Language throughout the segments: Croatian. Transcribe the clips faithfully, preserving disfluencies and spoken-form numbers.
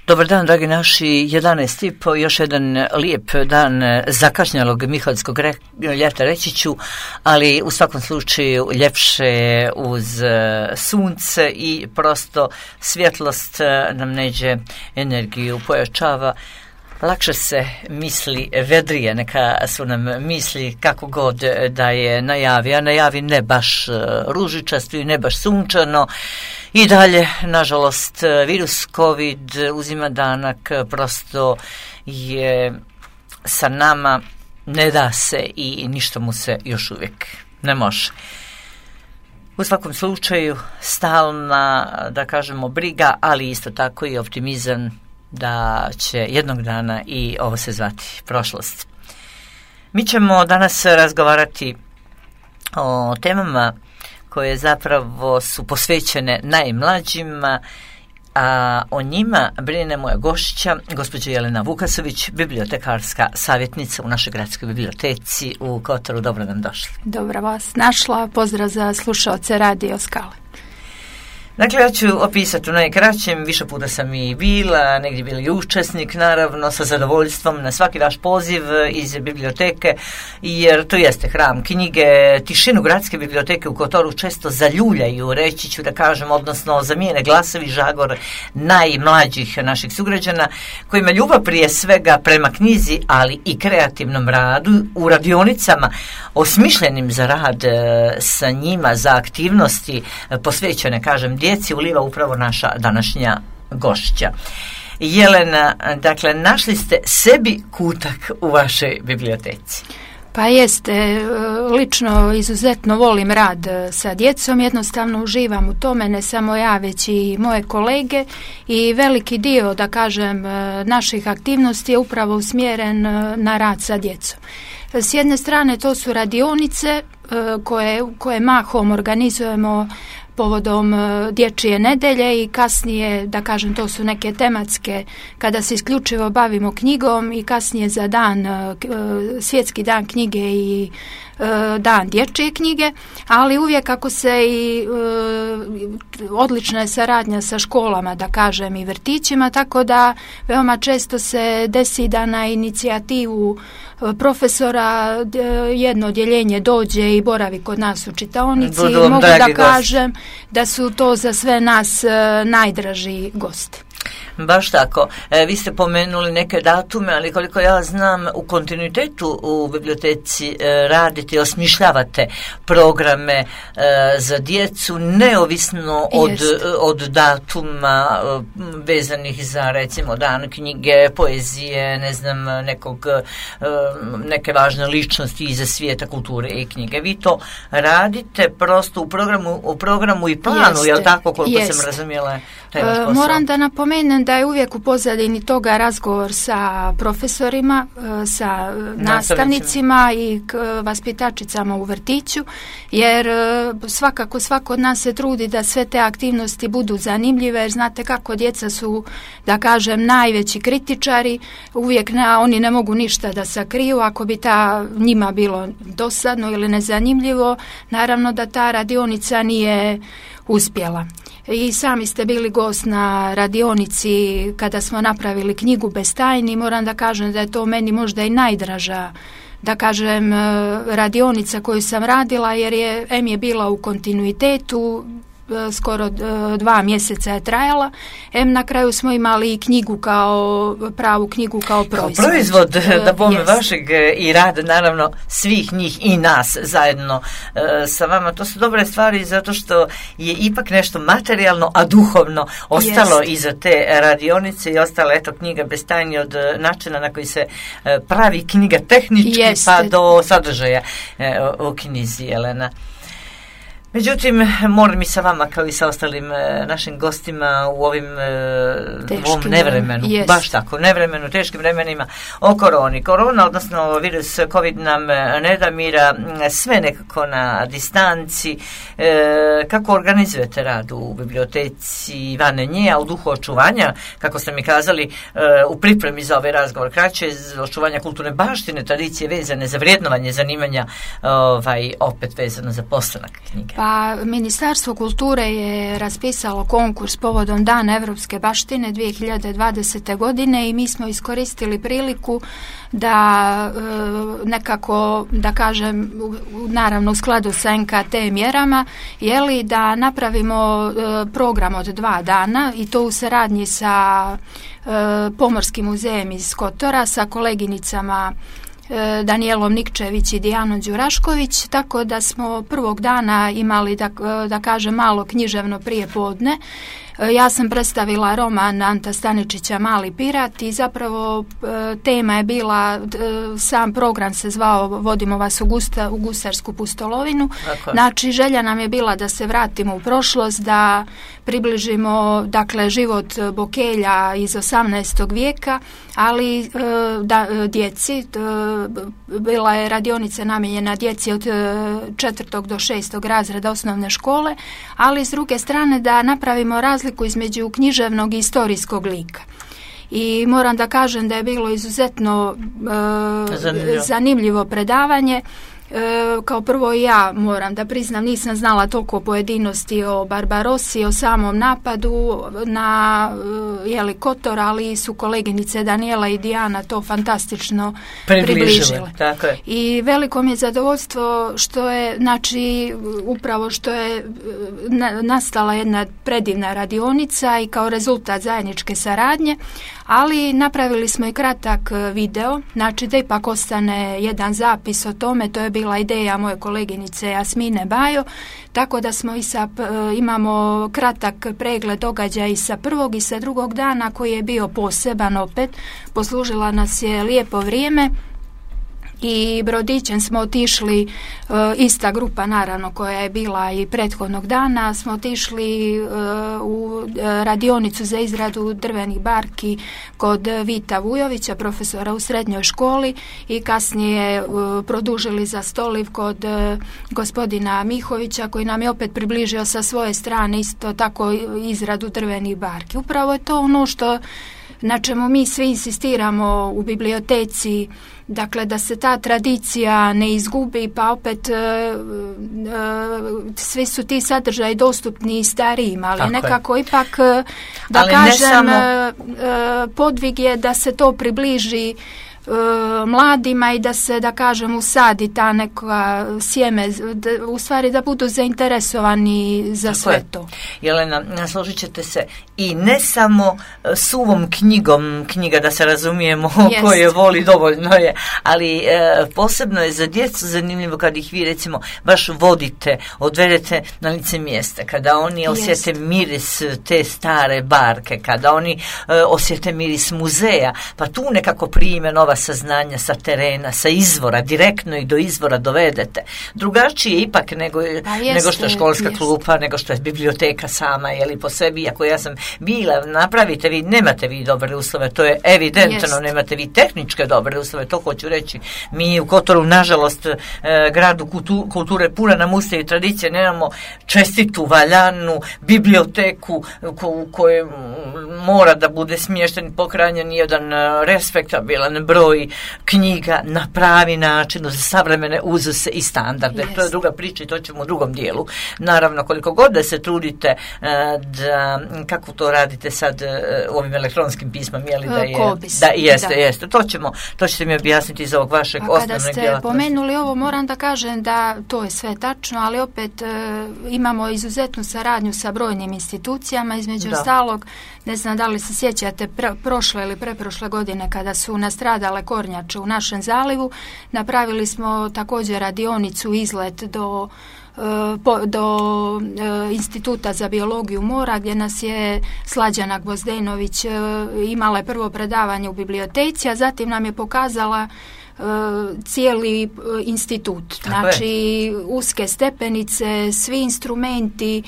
Dobar dan, dragi naši, jedanaest i po, još jedan lijep dan zakašnjalog miholjskog re, ljeta, reći ću, ali u svakom slučaju ljepše uz sunce i prosto svjetlost nam neđe energiju, pojačava. Lakše se misli vedrije, neka su nam misli kako god da je najavi, a najavi ne baš ružičasto i ne baš sunčano. I dalje, nažalost, virus COVID uzima danak, prosto je sa nama, ne da se i ništa mu se još uvijek ne može. U svakom slučaju, stalna, da kažemo, briga, ali isto tako i optimizam da će jednog dana i ovo se zvati prošlost. Mi ćemo danas razgovarati o temama koje zapravo su posvećene najmlađima, a o njima brine moja gošća, gospođa Jelena Vukasović, bibliotekarska savjetnica u našoj gradskoj biblioteci u Kotoru. Dobro nam došli. Dobro vas našla, pozdrav za slušaoce Radio Skale. Dakle, ja ću opisati u najkraćem, više puta sam i bila, negdje bili učesnik, naravno, sa zadovoljstvom na svaki vaš poziv iz biblioteke, jer to jeste hram knjige. Tišinu gradske biblioteke u Kotoru često zaljuljaju, reći ću da kažem, odnosno zamijene glasovi, žagor najmlađih naših sugrađana, kojima ljubav prije svega prema knjizi, ali i kreativnom radu u radionicama, osmišljenim za rad sa njima, za aktivnosti posvećene, kažem, djeci, uliva upravo naša današnja gošća. Jelena, dakle, našli ste sebi kutak u vašoj biblioteci. Pa jeste, lično izuzetno volim rad sa djecom, jednostavno uživam u tome, ne samo ja, već i moje kolege, i veliki dio, da kažem, naših aktivnosti je upravo usmjeren na rad sa djecom. S jedne strane to su radionice koje, koje mahom organizujemo povodom dječje nedelje i kasnije, da kažem, to su neke tematske kada se isključivo bavimo knjigom, i kasnije za dan, svjetski dan knjige i dan dječje knjige, ali uvijek ako se i odlična je saradnja sa školama, da kažem, i vrtićima, tako da veoma često se desi da na inicijativu profesora jedno odjeljenje dođe i boravi kod nas u čitaonici. Budu i mogu da kažem gosti. Da su to za sve nas najdraži gosti. Baš tako. E, vi ste pomenuli neke datume, ali koliko ja znam, u kontinuitetu u biblioteci e, radite, osmišljavate programe e, za djecu, neovisno od, od datuma e, vezanih za, recimo, dan knjige, poezije, ne znam, nekog, e, neke važne ličnosti iz svijeta kulture i knjige. Vi to radite prosto u programu, u programu i planu, jeste, jel tako, koliko jeste. Sam razumjela taj vaš posao? Moram da napomenem da je uvijek u pozadini toga razgovor sa profesorima, sa nastavnicima i vaspitačicama u vrtiću, jer svakako svako od nas se trudi da sve te aktivnosti budu zanimljive, jer znate kako djeca su, da kažem, najveći kritičari, uvijek na, oni ne mogu ništa da sakriju. Ako bi ta njima bilo dosadno ili nezanimljivo, naravno da ta radionica nije uspjela. I sami ste bili gost na radionici kada smo napravili knjigu Bez tajni. Moram da kažem da je to meni možda i najdraža, da kažem, radionica koju sam radila, jer je em je bila u kontinuitetu, skoro dva mjeseca je trajala. Em na kraju smo imali i knjigu kao pravu knjigu kao proizvod. Kao proizvod, da bome yes. vašeg i rada, naravno, svih njih i nas zajedno e, sa vama. To su dobre stvari zato što je ipak nešto materijalno, a duhovno ostalo yes. iza te radionice i ostala, eto, knjiga Bez tajni, od načina na koji se e, pravi knjiga tehnički yes. pa do sadržaja e, u knjizi, Jelena. Međutim, moram i sa vama, kao i sa ostalim e, našim gostima u ovim e, ovom nevremenu, yes. baš tako, nevremenu, teškim vremenima o koroni. Korona, odnosno virus COVID nam ne da mira, sve nekako na distanci. E, kako organizujete rad u biblioteci van nje, a u duhu očuvanja, kako ste mi kazali, e, u pripremi za ovaj razgovor, kraće, očuvanja kulturne baštine, tradicije vezane za vrijednovanje zanimanja, ovaj, opet vezano za postanak knjige? Pa Pa Ministarstvo kulture je raspisalo konkurs povodom Dana Evropske baštine dvije hiljade dvadesete. godine i mi smo iskoristili priliku da e, nekako, da kažem, naravno u skladu sa en ka te mjerama, jeli, da napravimo e, program od dva dana i to u saradnji sa e, Pomorskim muzejem iz Kotora, sa koleginicama Danijelom Nikčević i Dijanom Đurašković, tako da smo prvog dana imali, da, da kažem, malo književno prijepodne. Ja sam predstavila roman Anta Staničića Mali pirat i zapravo tema je bila, sam program se zvao Vodimo vas u, gusta, u gustarsku pustolovinu. Dakle. Znači, želja nam je bila da se vratimo u prošlost, da približimo, dakle, život Bokelja iz osamnaestog vijeka, ali da, djeci, bila je radionica namijenjena djeci od četvrtog do šestog razreda osnovne škole, ali s druge strane da napravimo razliku između književnog i istorijskog lika. I moram da kažem da je bilo izuzetno e, zanimljivo. zanimljivo predavanje. E, kao prvo ja moram da priznam, nisam znala toliko pojedinosti o Barbarossi, o samom napadu na jeli, Kotor, ali su koleginice Daniela i Dijana to fantastično približile. približile. Tako je. I veliko mi je zadovoljstvo što je, znači, upravo što je na, nastala jedna predivna radionica i kao rezultat zajedničke saradnje, ali napravili smo i kratak video, znači da ipak ostane jedan zapis o tome. To je bila ideja moje koleginice Jasmine Bajo, tako da smo i sa, imamo kratak pregled događaja i sa prvog i sa drugog dana koji je bio poseban opet. Poslužila nas je lijepo vrijeme i brodićem smo otišli, e, ista grupa naravno koja je bila i prethodnog dana, smo otišli e, u radionicu za izradu drvenih barki kod Vita Vujovića, profesora u srednjoj školi, i kasnije e, produžili za stoliv kod e, gospodina Mihovića, koji nam je opet približio sa svoje strane isto tako izradu drvenih barki. Upravo je to ono što na čemu mi svi insistiramo u biblioteci, dakle da se ta tradicija ne izgubi, pa opet e, e, svi su ti sadržaji dostupni i starijima, ali tako nekako je. Ipak da ali kažem samo... e, podvig je da se to približi mladima i da se, da kažem, usadi ta neka sjeme, da, u stvari da budu zainteresovani za tako sve je. To. Jelena, složit ćete se, i ne samo suvom knjigom, knjiga da se razumijemo koje voli dovoljno je, ali e, posebno je za djecu zanimljivo kad ih vi recimo baš vodite, odvedete na lice mjesta, kada oni osjete Jest. miris te stare barke, kada oni e, osjete miris muzeja, pa tu nekako prime nova saznanja sa terena, sa izvora, direktno ih do izvora dovedete. Drugačije ipak nego, pa jest, nego što je školska jest. klupa, nego što je biblioteka sama, jeli po sebi, iako ja sam bila, napravite vi, nemate vi dobre uslove, to je evidentno, jest. nemate vi tehničke dobre uslove, to hoću reći. Mi u Kotoru, nažalost, e, gradu kultu, kulture puna nam usta i tradicije, nemamo čestitu, valjanu biblioteku u kojoj mora da bude smješten i pohranjen jedan respektabilan broj knjiga na pravi način za savremene uzuse i standarde. Yes. To je druga priča i to ćemo u drugom dijelu. Naravno, koliko god da se trudite da, kako to radite sad u ovim elektronskim pismom, je li da je... Kobis. Da, jeste, da. jeste. To ćemo, to ćete mi objasniti iz ovog vašeg osnovnog djelatnosti. Kada ste pomenuli ovo, moram da kažem da to je sve tačno, ali opet e, imamo izuzetnu saradnju sa brojnim institucijama, između ostalog, ne znam da li se sjećate, pre, prošle ili preprošle godine kada su nastradale kornjače u našem zalivu, napravili smo također radionicu izlet do Po, do e, Instituta za biologiju mora, gdje nas je Slađana Gvozdenović e, imala prvo predavanje u biblioteci, a zatim nam je pokazala e, cijeli e, institut. Tako znači je. Uske stepenice, svi instrumenti,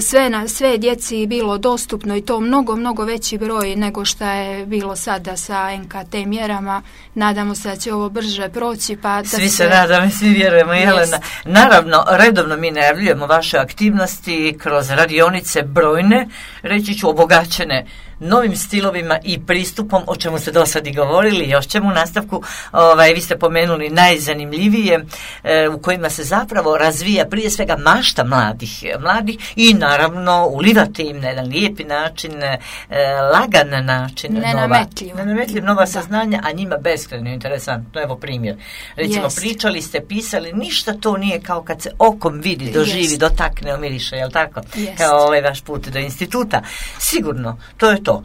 sve, na, sve djeci bilo dostupno i to mnogo, mnogo veći broj nego što je bilo sada sa en ka te mjerama. Nadamo se da će ovo brže proći. Pa da svi se nadamo, svi vjerujemo, Jelena. Naravno, redovno mi najavljujemo vaše aktivnosti kroz radionice brojne, reći ću obogaćene novim stilovima i pristupom, o čemu ste do sad i govorili, još ćemo u nastavku, ovaj, vi ste pomenuli najzanimljivije, e, u kojima se zapravo razvija prije svega mašta mladih, mladih i naravno ulivate im na jedan lijepi način, e, lagan način, nenametljiv, nova, nenametljiv, nova saznanja, a njima beskrajno interesantno. Evo primjer. Recimo, yes. pričali ste, pisali, ništa to nije kao kad se okom vidi, doživi, yes. dotakne, omiriše, jel tako? Yes. Kao ovaj vaš put do instituta. Sigurno, to je to. Uh,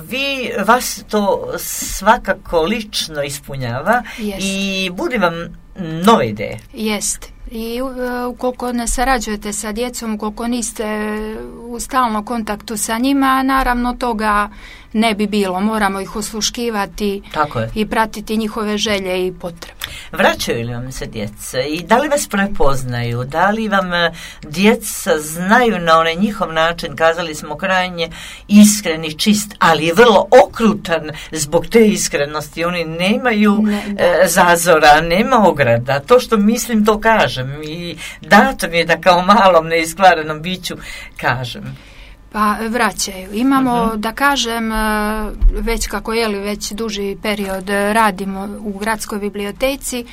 vi, vas to svakako lično ispunjava yes. i budi vam nove ideje. Jeste. I uh, ukoliko ne sarađujete sa djecom, ukoliko niste u stalnom kontaktu sa njima, naravno toga ne bi bilo. Moramo ih osluškivati i pratiti njihove želje i potrebe. Vraćaju li vam se djeca i da li vas prepoznaju, da li vam djeca znaju na onaj njihov način, kazali smo krajnje iskren, čist, ali je vrlo okrutan zbog te iskrenosti. Oni nemaju ne, e, zazora, nema ograda. To što mislim to kažem i dato mi je da kao malom neiskvarenom biću kažem. Pa vraćaju. Imamo, uh-huh. da kažem, već kako je li već duži period radimo u gradskoj biblioteci,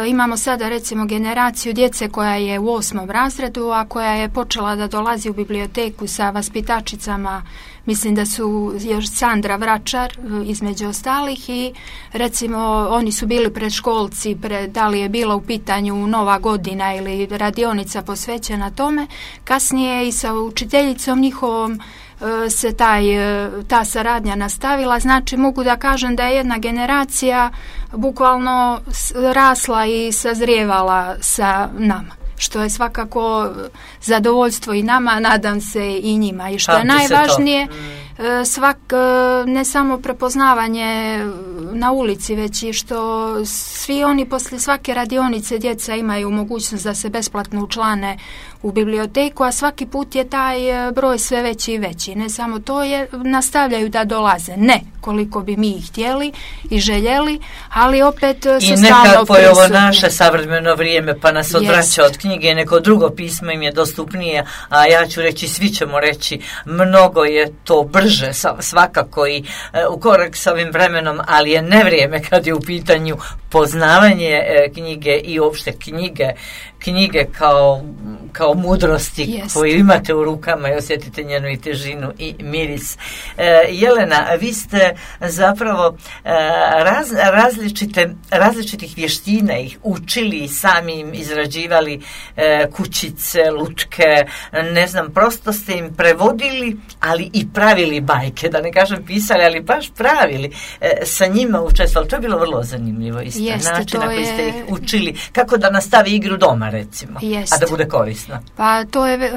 imamo sada recimo generaciju djece koja je u osmom razredu, a koja je počela da dolazi u biblioteku sa vaspitačicama, mislim da su još Sandra Vračar između ostalih i recimo oni su bili predškolci, pred, da li je bila u pitanju Nova godina ili radionica posvećena tome, kasnije i sa učiteljicom njihovom se taj, ta saradnja nastavila, znači mogu da kažem da je jedna generacija bukvalno rasla i sazrijevala sa nama, što je svakako zadovoljstvo i nama, nadam se i njima. I što je najvažnije, svak, ne samo prepoznavanje na ulici, već i što svi oni poslije svake radionice djeca imaju mogućnost da se besplatno učlane u biblioteku, a svaki put je taj broj sve veći i veći. Ne samo to, je nastavljaju da dolaze. Ne koliko bi mi ih htjeli i željeli, ali opet su stalno prisutni. I nekako je ovo naše savremeno vrijeme, pa nas odvraća yes. od knjige, neko drugo pismo im je dostupnije, a ja ću reći, svi ćemo reći, mnogo je to brže svakako i e, u korak s ovim vremenom, ali je nevrijeme kad je u pitanju poznavanje e, knjige i uopšte knjige, knjige kao, kao mudrosti yes. koju imate u rukama i osjetite njenu i težinu i miris. E, Jelena, vi ste zapravo e, raz, različite, različitih vještina ih učili i sami im izrađivali e, kućice, lutke, ne znam, prosto ste im prevodili, ali i pravili bajke, da ne kažem pisali, ali baš pravili, e, sa njima učestvovali. To je bilo vrlo zanimljivo isto. Jeste, način na koji je... ste ih učili, kako da nastavi igru doma, recimo, Jeste. a da bude korisno. Pa to je, e,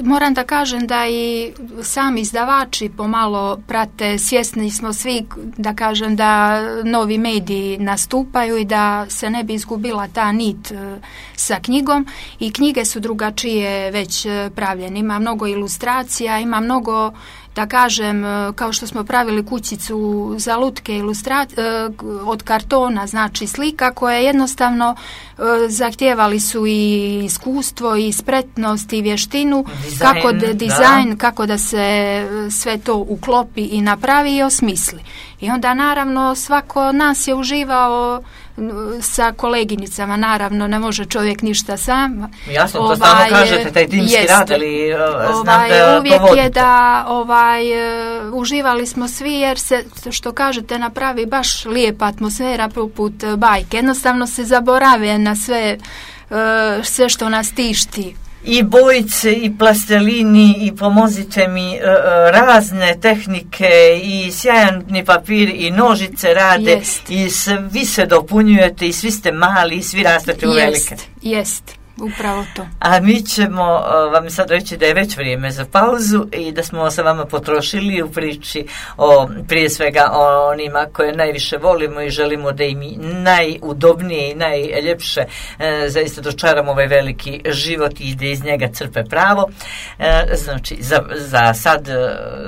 moram da kažem da i sami izdavači pomalo prate, svjesni smo svi, da kažem, da novi mediji nastupaju i da se ne bi izgubila ta nit e, sa knjigom i knjige su drugačije već pravljene. Ima mnogo ilustracija, ima mnogo, da kažem, kao što smo pravili kućicu za lutke ilustra- od kartona, znači slika koje jednostavno zahtijevali su i iskustvo i spretnost i vještinu, dizajn, kako da, dizajn, da. kako da se sve to uklopi i napravi i osmisli. I onda naravno svako od nas je uživao sa koleginicama, naravno ne može čovjek ništa sam. Jasno, ovaj, to stalno kažete, taj timski jest, rad, ali znam ovaj, da uvijek povodite. Je da ovaj, uh, uživali smo svi jer se, što kažete, napravi baš lijepa atmosfera poput bajke. Jednostavno se zaborave na sve, uh, sve što nas tišti. I bojice, i plastelini, i pomozite mi, uh, razne tehnike, i sjajni papir, i nožice rade, jest. I svi se dopunjujete, i svi ste mali, i svi rastete u velike. Jest, jest. Upravo to. A mi ćemo uh, vam sad reći da je već vrijeme za pauzu i da smo sa vama potrošili u priči o, prije svega o onima koje najviše volimo i želimo da im najudobnije i najljepše uh, zaista dočaramo ovaj veliki život i da iz njega crpe pravo. Uh, znači, za, za sad, uh,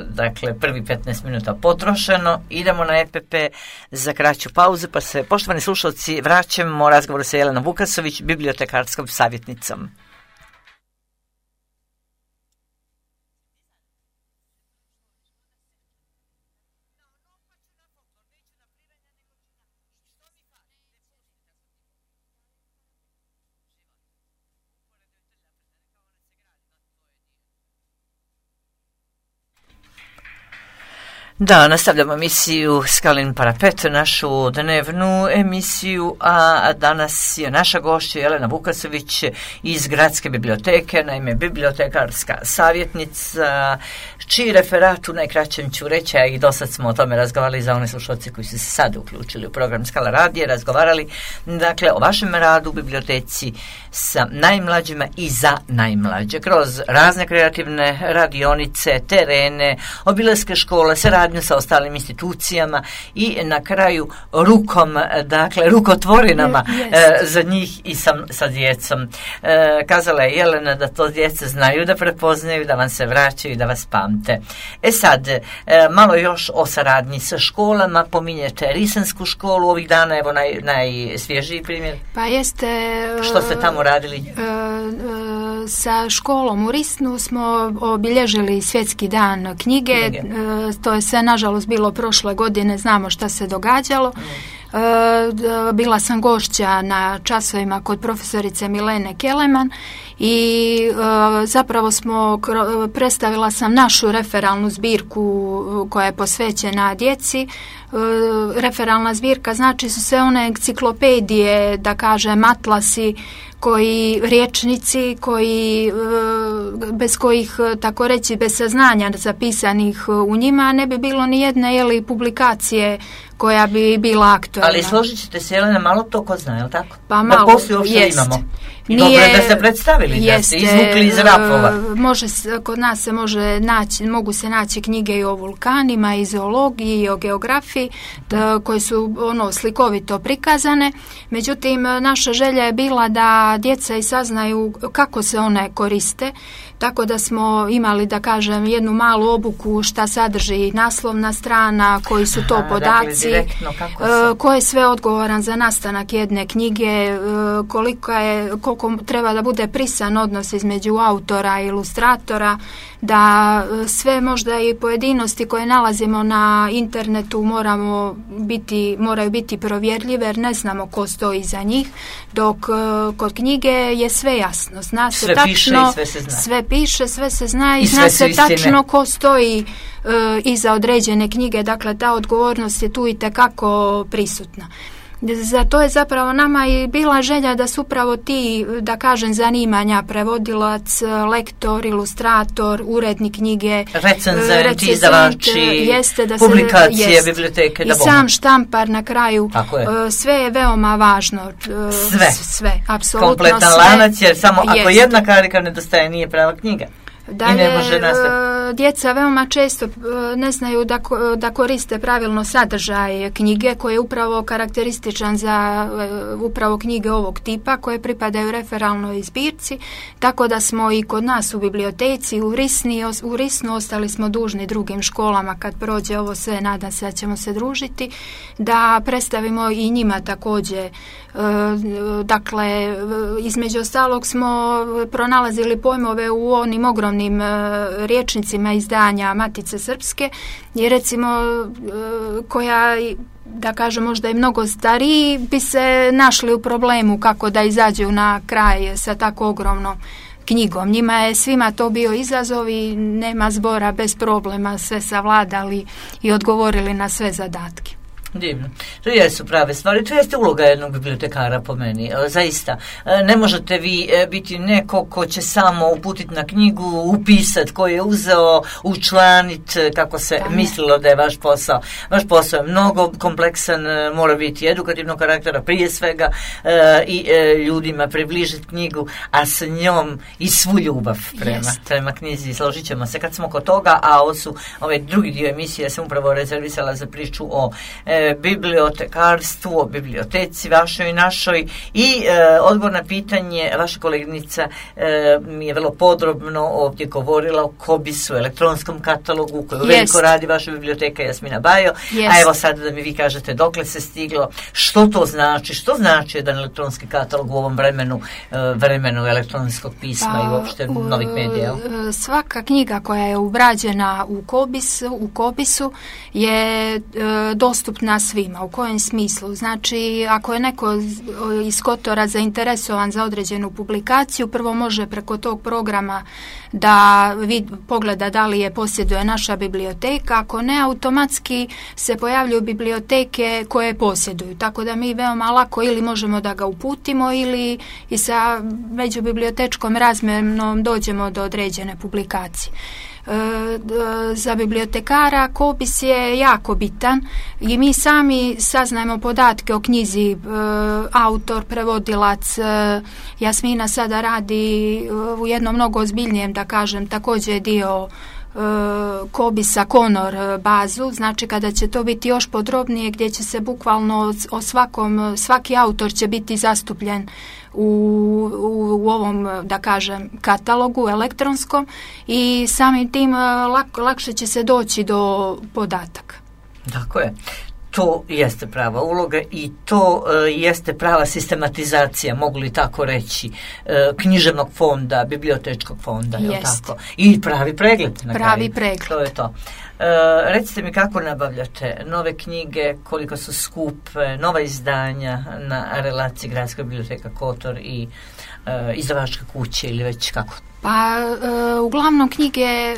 dakle, prvi petnaest minuta potrošeno. Idemo na E P P za kraću pauzu, pa se, poštovani slušalci, vraćamo razgovoru sa Jelenom Vukasović, bibliotekarskom savjetnicom. Da, nastavljamo emisiju Skalin parapet, našu dnevnu emisiju, a danas je naša gošća Jelena Vukasović iz Gradske biblioteke, naime bibliotekarska savjetnica, čiji referat u najkraćem ću reći, a i do sad smo o tome razgovarali za one slušalce koji su se sad uključili u program Skala radije, razgovarali dakle o vašem radu u biblioteci sa najmlađima i za najmlađe, kroz razne kreativne radionice, terene, obilaske škole, saradnju sa ostalim institucijama i na kraju rukom, dakle rukotvorinama e, za njih i sa, sa djecom. E, kazala je Jelena da to djece znaju da prepoznaju, da vam se vraćaju i da vas pamte. E sad, e, malo još o saradnji sa školama, pominjete Risensku školu ovih dana, evo naj, najsvježiji primjer. Pa jeste... Što ste tamo radili? E, e, sa školom u Risnu smo obilježili svjetski dan knjige, knjige. E, to je sve nažalost bilo prošle godine, znamo šta se događalo. Mm. E, bila sam gošća na časovima kod profesorice Milene Keleman i e, zapravo smo predstavila sam našu referalnu zbirku koja je posvećena djeci. E, referalna zbirka znači su sve one enciklopedije, da kažem atlasi, koji riječnici koji bez kojih, tako reći, bez saznanja zapisanih u njima ne bi bilo ni jedne jeli, publikacije koja bi bila aktualna. Ali složit ćete se, Jelena, malo to ko zna, je li tako? Pa malo, da poslije uopšte jest. Imamo. Nije, dobro je da ste predstavili, jeste, da ste izvukli iz rapova. Može, kod nas se može naći, mogu se naći knjige i o vulkanima, i zoologiji, i o geografiji, da, koje su ono slikovito prikazane. Međutim, naša želja je bila da djeca i saznaju kako se one koriste, tako da smo imali, da kažem, jednu malu obuku šta sadrži naslovna strana, koji su to Aha, podaci, dakle, se... ko je sve odgovoran za nastanak jedne knjige, koliko je, koliko treba da bude prisan odnos između autora i ilustratora, da sve možda i pojedinosti koje nalazimo na internetu moramo biti, moraju biti provjerljive jer ne znamo ko stoji iza njih, dok kod knjige je sve jasno. Zna se sve tačno, piše i sve se zna. Sve piše, sve se zna i, I zna se istine. Tačno ko stoji uh, iza određene knjige, dakle ta odgovornost je tu i tekako prisutna. Za to je zapravo nama i bila želja da su upravo ti, da kažem, zanimanja, prevodilac, lektor, ilustrator, urednik knjige, recenzent, izdavači, jeste da publikacije, se, jest, biblioteke, da i sam štampar na kraju, je. sve je veoma važno. Sve, sve apsolutno kompletan sve. Lanac, jer samo jest. Ako jedna karika nedostaje, nije prava knjiga. Dalje, djeca veoma često ne znaju da, da koriste pravilno sadržaj knjige koji je upravo karakterističan za upravo knjige ovog tipa koje pripadaju referalnoj zbirci, tako da smo i kod nas u biblioteci u Risni, u Risnu ostali smo dužni drugim školama kad prođe ovo sve, nadam se da ćemo se družiti, da predstavimo i njima također. Dakle, između ostalog smo pronalazili pojmove u onim ogromnim riječnicima izdanja Matice Srpske, jer recimo koja, da kažem, možda je mnogo stariji, bi se našli u problemu kako da izađu na kraj sa tako ogromnom knjigom. Njima je svima to bio izazov i nema zbora, bez problema sve savladali i odgovorili na sve zadatke. Divno. To jesu prave stvari. To jeste uloga jednog bibliotekara po meni. Zaista. Ne možete vi biti neko ko će samo uputiti na knjigu, upisati ko je uzeo, učlaniti kako se Tane. mislilo da je vaš posao. Vaš posao je mnogo kompleksan, mora biti edukativnog karaktera prije svega i ljudima približiti knjigu, a s njom i svu ljubav prema, prema knjizi. Složit ćemo se kad smo kod toga, a ovo su ovaj drugi dio emisije, ja sam upravo rezervisala za priču o bibliotekarstvu, o biblioteci vašoj i našoj i e, odgovor na pitanje vaša koleginica e, mi je vrlo podrobno ovdje govorila o Kobisu, elektronskom katalogu koju veliko radi vaša biblioteka Jasmina Bajo, yes. A evo sad da mi vi kažete dokle se stiglo, što to znači, što znači jedan elektronski katalog u ovom vremenu, e, vremenu elektronskog pisma pa, i uopšte u, novih medija? Svaka knjiga koja je ubrađena u Kobisu, u Kobisu je e, dostupna dostupna svima. U kojem smislu? Znači, ako je neko iz Kotora zainteresovan za određenu publikaciju, prvo može preko tog programa da vid, pogleda da li je posjeduje naša biblioteka, ako ne, automatski se pojavljuju biblioteke koje posjeduju, tako da mi veoma lako ili možemo da ga uputimo ili i sa međubibliotečkom razmjenom dođemo do određene publikacije. Za bibliotekara Kobis je jako bitan i mi sami saznajemo podatke o knjizi, autor, prevodilac. Jasmina sada radi u jednom mnogo ozbiljnijem, da kažem, također dio Kobisa Konor bazu, znači kada će to biti još podrobnije, gdje će se bukvalno o svakom, svaki autor će biti zastupljen u, u, u ovom, da kažem, katalogu elektronskom i samim tim lak, lakše će se doći do podataka. Tako je. To jeste prava uloga i to e, jeste prava sistematizacija, mogu li tako reći, e, književnog fonda, bibliotečkog fonda, je li tako? I pravi pregled. Na pravi kraju. pregled. To je to. E, recite mi kako nabavljate nove knjige, koliko su skupe, nova izdanja na relaciji Gradska biblioteka Kotor i e, izdavačke kuće ili već kako? Pa e, uglavnom knjige e,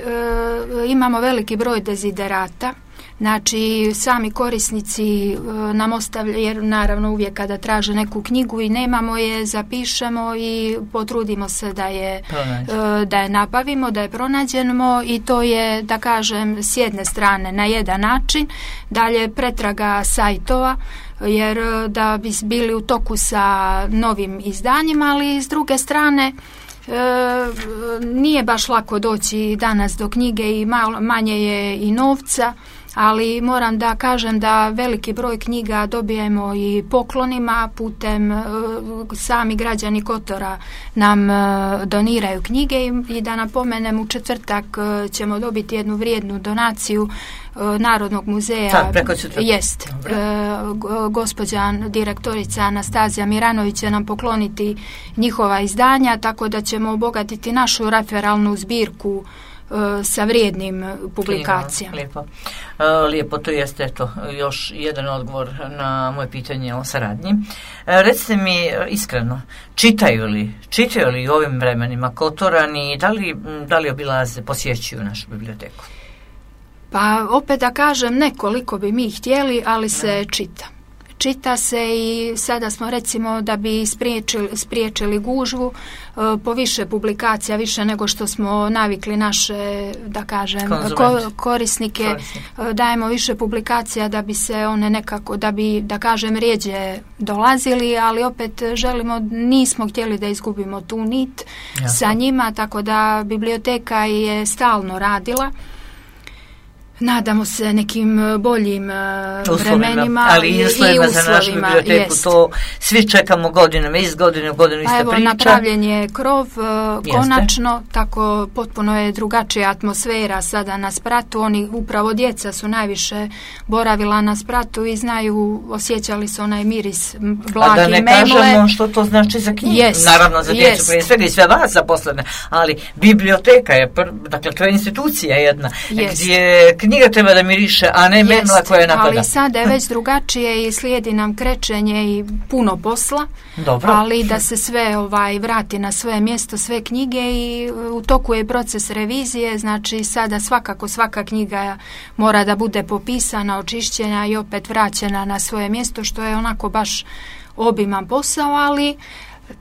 imamo veliki broj deziderata. Znači, sami korisnici e, nam ostavljaju, jer naravno uvijek kada traže neku knjigu i nemamo je, zapišemo i potrudimo se da je, e, da je nabavimo, da je pronađemo i to je, da kažem, s jedne strane na jedan način, dalje pretraga sajtova, jer da bi bili u toku sa novim izdanjima, ali s druge strane E, nije baš lako doći danas do knjige i malo, manje je i novca, ali moram da kažem da veliki broj knjiga dobijemo i poklonima putem e, sami građani Kotora nam e, doniraju knjige i, i da napomenem u četvrtak e, ćemo dobiti jednu vrijednu donaciju e, Narodnog muzeja. Sad, preko četvrtak. Jest. E, gospođa direktorica Anastazija Miranović će nam pokloniti njihova izdanja, tako da ćemo obogatiti našu referalnu zbirku sa vrijednim publikacijama. Lijepo. Uh, lijepo, to jeste eto, još jedan odgovor na moje pitanje o saradnji. Uh, recite mi iskreno, čitaju li, čitaju li u ovim vremenima Kotorani, da li, da li obilaze, posjećuju našu biblioteku? Pa opet da kažem, nekoliko bi mi htjeli, ali se ne. čita. Čita se i sada smo recimo da bi spriječili, spriječili gužvu po više publikacija, više nego što smo navikli naše, da kažem, ko, korisnike, Korisnik. dajemo više publikacija da bi se one nekako, da bi, da kažem, rijeđe dolazili, ali opet želimo, nismo htjeli da izgubimo tu nit Jasno. sa njima, tako da biblioteka je stalno radila. Nadamo se nekim boljim uslovima, vremenima ali i uslovima za našu biblioteku. Jest. To svi čekamo godinama, iz godine u godinu ista evo, priča. Napravljen je krov uh, konačno, tako potpuno je drugačija atmosfera sada na spratu. Oni, upravo djeca su najviše boravila na spratu i znaju, osjećali su onaj miris blage i memle. A da ne kažemo što to znači za knjigu. Jest. Naravno za djecu, Jest. prije svega i sve vas zaposlene, ali biblioteka je, dakle to je institucija jedna, Jest. gdje knjiga treba da miriše, a ne memla koja je napada. Ali sada je već drugačije i slijedi nam krećenje i puno posla. Dobro. Ali da se sve ovaj vrati na svoje mjesto, sve knjige i u toku je proces revizije, znači sada svakako svaka knjiga mora da bude popisana, očišćena i opet vraćena na svoje mjesto, što je onako baš obiman posao, ali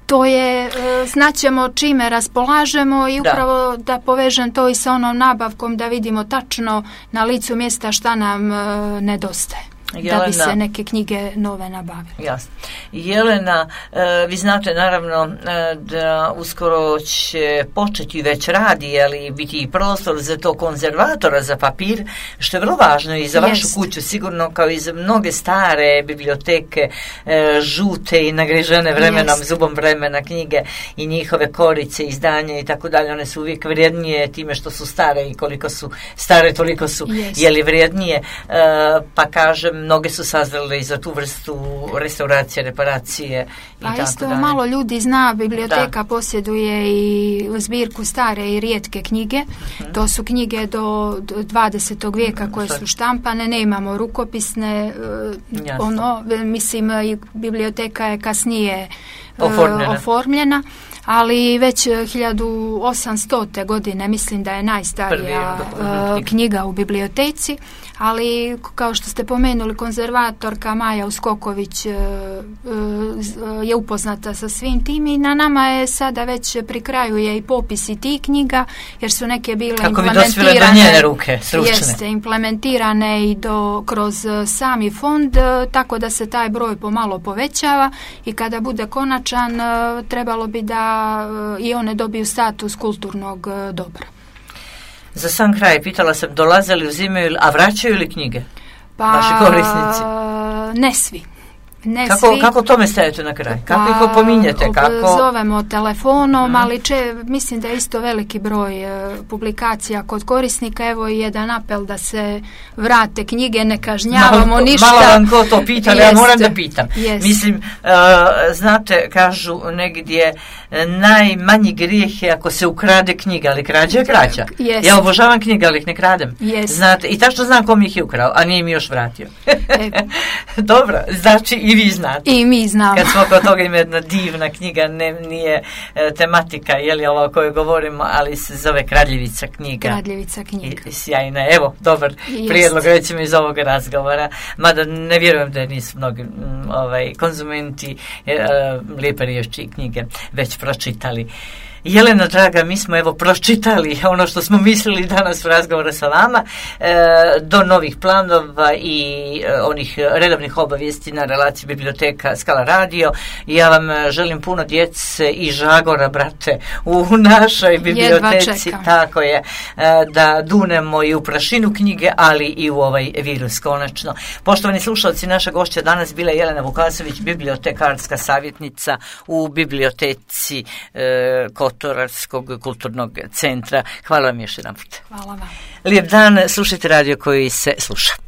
to je, znaćemo čime raspolažemo i upravo da. da povežem to i sa onom nabavkom da vidimo tačno na licu mjesta šta nam e, nedostaje. Jelena, da bi se neke knjige nove nabavile. Jasno. Jelena, e, vi znate naravno e, da uskoro će početi već radi, ali biti i prostor za to konzervatora za papir, što je vrlo važno i za Jest. vašu kuću, sigurno kao i za mnoge stare biblioteke, e, žute i nagrižene vremenom, Jest. zubom vremena knjige i njihove korice, izdanja i tako dalje. One su uvijek vrijednije time što su stare i koliko su stare, toliko su Jest. jeli vrijednije. E, pa kažem, mnoge su sazrele i za tu vrstu restauracije, reparacije i pa tako isto dalje. Malo ljudi zna, biblioteka da. posjeduje i zbirku stare i rijetke knjige. Uh-huh. To su knjige do, do dvadesetog vijeka koje su štampane, nemamo rukopisne, uh, ono, mislim, biblioteka je kasnije uh, oformljena. oformljena. Ali već hiljadu osamstote godine mislim da je najstarija uh, knjiga u biblioteci, ali kao što ste pomenuli, konzervatorka Maja Uskoković uh, uh, je upoznata sa svim tim i na nama je sada već pri kraju je i popis i tih knjiga, jer su neke bile kako implementirane, bi dospjele do njene ruke, stručne. Jeste, implementirane i do, kroz sami fond, uh, tako da se taj broj pomalo povećava i kada bude konačan uh, trebalo bi da i one dobiju status kulturnog dobra. Za sam kraj pitala sam, dolaze li, uzimaju, a vraćaju li knjige? Pa, vaši korisnici? Ne svi. Ne kako, svi. kako tome stajete na kraj? Kako ih opominjete? Kako... Zovemo telefonom, hmm. ali če, mislim da je isto veliki broj e, publikacija kod korisnika. Evo i jedan apel da se vrate knjige, ne kažnjavamo malo, ništa. Malo vam ko to pita, ali ja moram da pitam. Jest. Mislim, uh, znate, kažu negdje, najmanji grijeh je ako se ukrade knjiga, ali krađa je krađa. Jest. Ja obožavam knjige, ali ih ne kradem. Jest. Znate, i tačno znam kom ih je ukrao, a nije mi još vratio. E. Dobro, znači i vi znate. I mi znamo. Kad smo kod toga, ima jedna divna knjiga, ne, nije e, tematika, je li ova o kojoj govorimo, ali se zove Kradljivica knjiga. Kradljivica knjiga. I, sjajna. Evo, dobar Jest. prijedlog, recimo, iz ovog razgovora. Mada ne vjerujem da nisu mnogi m, ovaj, konzumenti e, lijepe riječi i knjige već pročitali. Jelena draga, mi smo evo pročitali ono što smo mislili danas u razgovoru sa vama, e, do novih planova i e, onih redovnih obavijesti na relaciji biblioteka Skala radio. Ja vam želim puno djece i žagora, brate, u našoj biblioteci, tako je, e, da dunemo i u prašinu knjige, ali i u ovaj virus konačno. Poštovani slušalci, naša gošća danas bila Jelena Vukasović, bibliotekarska savjetnica u biblioteci e, Kotorskog kulturnog centra. Hvala vam još jedan put. Hvala vam. Lijep dan, slušajte radio koji se sluša.